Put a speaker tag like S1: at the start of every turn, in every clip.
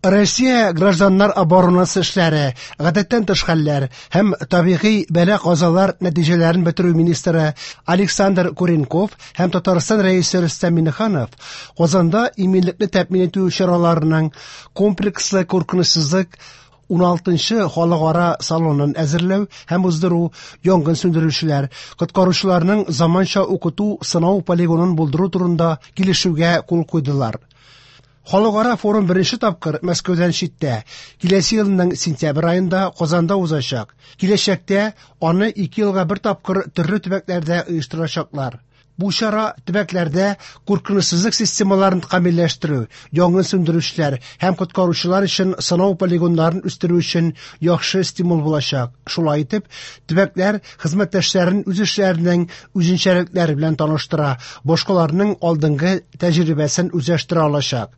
S1: Россия гражданнар оборонасы эшләре, гадәттән тыш хәлләр һәм табигый бәла-казалар нәтиҗәләрен бетерү министры Александр Куренков һәм Татарстан Рәисе Рөстәм Миңнеханов Казанда иминлекне тәэмин итү чараларының комплекслы куркынычсызлык 16нчы халыкара салонын әзерләү һәм уздыру, янгын сүндерүчеләр, коткаручыларның заманча укыту-сынау полигонын булдыру турында килешүгә кул куйдылар. Халыкара форум беренче тапкыр Мәскәүдән читтә, киләсе елның сентябрь аенда Казанда узачак. Киләчәктә аны 2 елга бер тапкыр төрле төбәкләрдә оештырачаклар. Бу чара төбәкләрдә куркынычсызлык системаларын камилләштерү, янгын сүндерүчеләр һәм коткаручылар өчен сынау полигоннарын үстерү өчен яхшы стимул булачак. Шулай итеп, төбәкләр хезмәттәшләрен үз эшләренең үзенчәлекләре белән таныштыра, башкаларның алдынгы тәҗрибәсен үзләштерә алачак.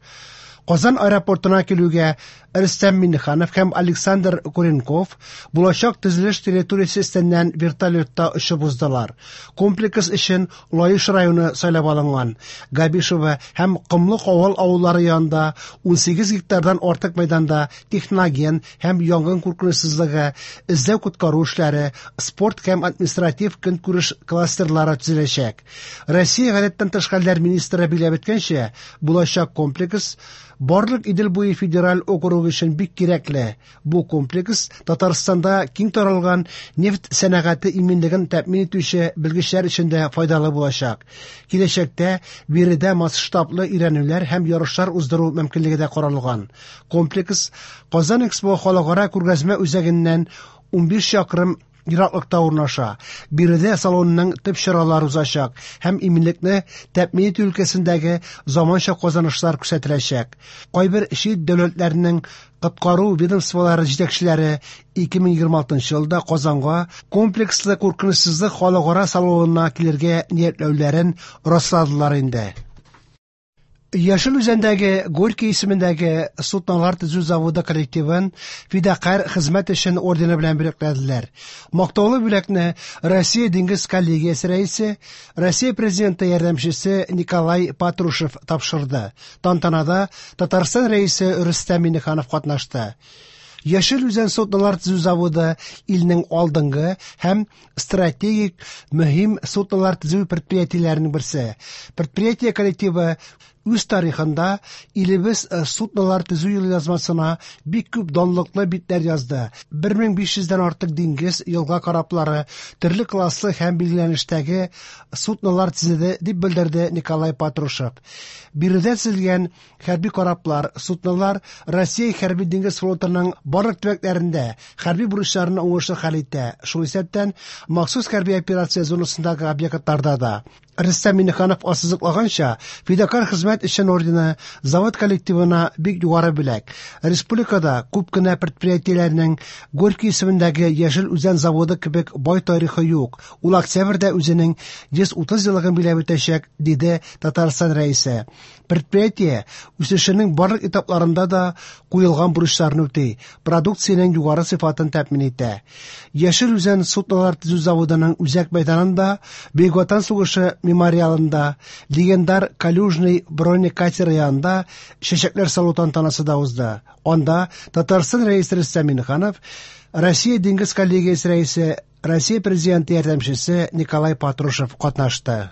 S1: Казан аэропортына килүгә Рөстәм Миңнеханов һәм Александр Куренков булачак төзелеш территориясе өстеннән вертолетта очып уздылар. Комплекс өчен Лаеш районы сайлап алынган. Габишево һәм Комлы Кавал авыллары янында 18 гектардан артык мәйданда техноген һәм янгын куркынычсызлыгы, эзләү-коткару эшләре, спорт һәм административ көнкүреш кластерлары төзеләчәк. Россия гадәттән тыш хәлләр министры билгеләп үткәнчә, булачак комплекс барлык Идел буе федераль округы өчен бик кирәкле. Бу комплекс Татарстанда киң таралган нефть сәнәгате иминлеген тәэмин итүче белгечләр өчен дә файдалы булачак. Киләчәктә биредә масштаблы өйрәнүләр һәм ярышлар уздыру мөмкинлеге дә каралган. Комплекс Казан Экспо халыкара күргәзмә үзәгеннән 15 чакрым ераклыкта урнаша. Биредә салонның төп чаралары узачак һәм иминлекне тәэмин итү өлкәсендәге заманча казанышлар күрсәтеләчәк. Кайбер чит дәүләтләрнең коткару ведомстволары җитәкчеләре 2026 елда Казанга комплекслы куркынычсызлык халыкара салонына килергә ниятләүләрен расладылар инде. Яшел Үзәндәге Горький исемендәге суднолар төзү заводы коллективын Фидакарь хезмәт өчен ордены белән бүләкләделәр. Мактаулы бүләкне Россия диңгез коллегиясе рәисе, Россия президенты ярдәмчесе Николай Патрушев тапшырды. Тантанада Татарстан рәисе Рөстәм Миңнеханов катнашты. Яшел Үзән суднолар төзү заводы илнең алдынгы һәм стратегик мөһим суднолар төзү предприятиеләренең берсе. Предприятие коллективы үз тарихында илебез суднолар төзү елъязмасына бик күп данлыклы битләр язды. 1500дән артык диңгез, елга кораблары, төрле класслы һәм билгеләнештәге суднолар төзеде, дип белдерде Николай Патрушев. Биредә төзелгән хәрби кораблар, суднолар Россия хәрби диңгез флотының барлык төбәкләрендә хәрби бурычларны уңышлы хәл итә, шул исәптән махсус хәрби операция зонасындагы объектларда да. Рөстәм Миңнеханов ассызыклаганча, Фидакарь хезмәт өчен ордены завод коллективына бик югары бүләк. Республикада күп кенә предприятиеләрнең Горький исемендәге Яшел Үзән заводы кебек бай тарихы юк. Ул октябрьдә үзенең 130 еллыгын билгеләп үтәчәк, диде Татарстан Рәисе. Предприятие үсешенең барлык этапларында да куелган бурычларны үти, продукциянең югары сыйфатын тәэмин итә. Яшел Үзән суднолар төзү заводының үзәк мәйданында Бөек Ватан сугышы мемориалында легендар Калюжный бронекатеры янында чәчәкләр салу тантанасы да узды. Анда Татарстан Рәисе Рөстәм Миңнеханов, Россия диңгез коллегиясе рәисе, Россия президенты ярдәмчесе Николай Патрушев катнашты.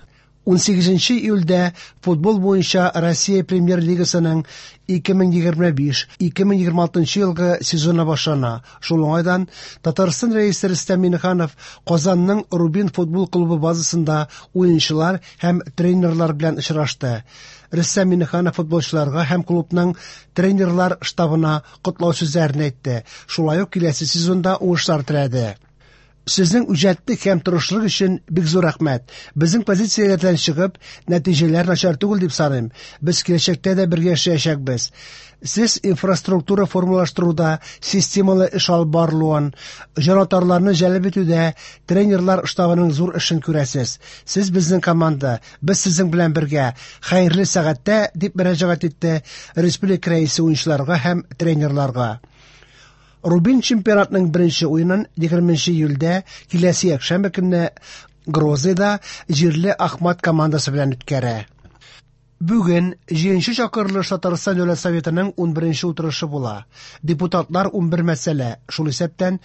S1: 18 июльдә футбол буенча Россия премьер-лигасының 2025-2026 елгы сезоны башлана. Шул уңайдан Татарстан Рәисе Рөстәм Миңнеханов Казанның Рубин футбол клубы базасында уенчылар һәм тренерлар белән очрашты. Рөстәм Миңнеханов футболчыларга һәм клубның тренерлар штабына котлау сүзләрен әйтте. Шулай ук киләсе сезонда уңышлар теләде. Сезнең үҗәтлек һәм тырышлык өчен бик зур рәхмәт. Безнең позицияләрдән чыгып, нәтиҗәләр начар түгел дип саныйм. Без киләчәктә дә бергә эшләячәкбез. Сез инфраструктура формалаштыруда системалы эш алып барылуын, җанатарларны җәлеп итүдә тренерлар штабының зур эшен күрәсез. Сез безнең команда, без сезнең белән бергә. Хәерле сәгатьтә, дип мөрәҗәгать итте республика рәисе уенчыларга һәм тренерларга. Рубин чемпионатының беренче уенын 20 июльдә киләсе якшәмбе көнне Грозныйда җирле Ахмат командасы белән үткәрә. Бүген җиденче чакырылыш Татарстан Дәүләт Советының унберенче утырышы була. Депутатлар 11 мәсьәлә, шул исәптән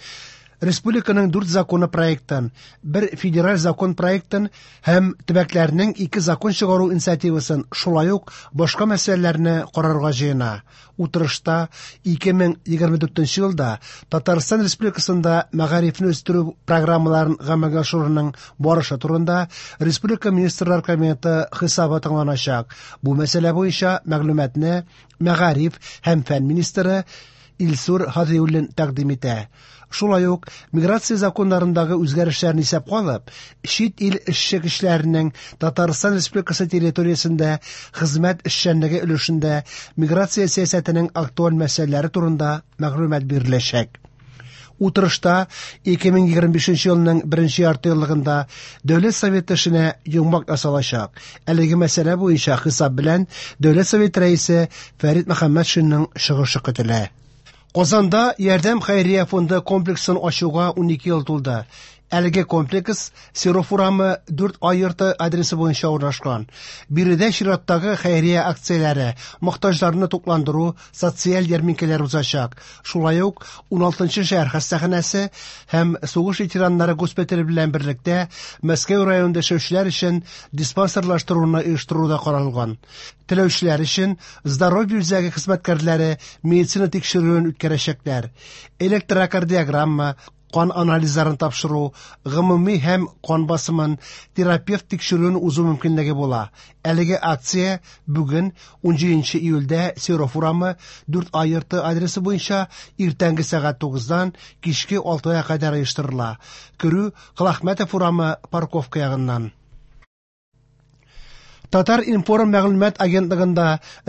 S1: республиканың дүрт законы проектын, бер федераль закон проектын һәм төбәкләрнең ике закон чыгару инициативасын, шулай ук башка мәсьәләләрне карарга җыена. Утырышта 2024 елда Татарстан Республикасында мәгарифне үстерү программаларын гамәлгә ашыруның барышы турында республика Министрлар Кабинеты хисабы тыңланачак. Бу мәсьәлә буенча мәгълүматны мәгариф һәм фән министры Илсур Һадиуллин тәкъдим итә. Шулай ук миграция законнарындагы үзгәрешләрне исәпкә алып, чит ил эшче көчләренең Татарстан Республикасы территориясендә хезмәт эшчәнлеге өлешендә миграция сәясәтенең актуаль мәсьәләләре турында мәгълүмат биреләчәк. Утырышта 2025 елның беренче яртыеллыгында Дәүләт Советы эшенә йомгак ясалачак. Әлеге мәсьәлә буенча хисап белән Дәүләт Советы Рәисе Фәрит Мөхәммәтшинның чыгышы көтелә. Казанда Ярдәм хәйрия фонды комплексын ачуга 12 ел тулды. Әлеге комплекс Серов урамы 4А йорты адресы буенча урнашкан. Биредә чираттагы хәйрия акцияләре, мохтаҗларны тукландыру, социаль ярминкәләр узачак. Шулай ук 16 шәһәр хастаханәсе һәм сугыш ветераннары госпитале белән берлектә Мәскәү районында яшәүчеләр өчен диспансерлаштыруны оештыру да каралган. Теләүчеләр өчен Здоровье үзәге хезмәткәрләре медицина тикшерүен үткәрәчәкләр. Электрокардиограмма, кан анализларын тапшыру, гомуми һәм кан басымын, терапевт тикшерүен узу мөмкинлеге була. Әлеге акция бүген 17 июльдә Серов урамы 4А йорты адресы буенча иртәнге сәгать 9-дан кичке 6-га кадәр оештырыла. Керү Колахмәтов урамы парковка ягыннан. Татар-информ мәгълүмат агентлыгында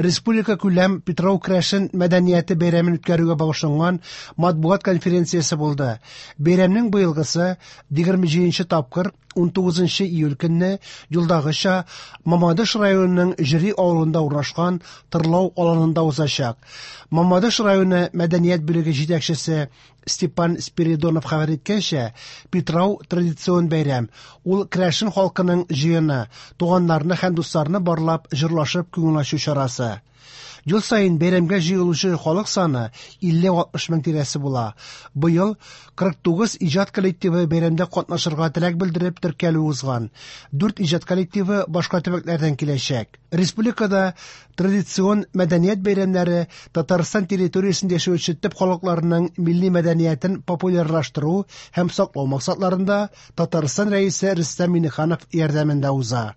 S1: республика күләм Питрау керәшен мәдәнияте бәйрәмен үткәрүгә багышланган матбугат конференциясе булды. Бәйрәмнең быелгысы 27 тапкыр 19 июль көнне юлдагыча Мамадыш районының Җөри авылында урнашкан Тырлау аланында узачак. Мамадыш районы мәдәният бүлеге җитәкчесе Степан Спиридонов хәбәр иткәнчә, Питрау традицион бәйрәм. Ул керәшен халкының җыены, туганнарны һәм дусларны барлап, җырлашып күңел ачу чарасы. Ел саен бәйрәмгә җыелучы халык саны 50-60 мең тирәсе була. Быел 49 иҗат коллективы бәйрәмдә катнашырга теләк белдереп теркәлү узган. Дүрт иҗат коллективы башка төбәкләрдән киләчәк. Республикада Традицион мәдәният бәйрәмнәре Татарстан территориясендә яшәүче төп халыкларының милли мәдәниятен популярлаштыру һәм саклау максатларында Татарстан Рәисе Рөстәм Миңнеханов ярдәмендә уза.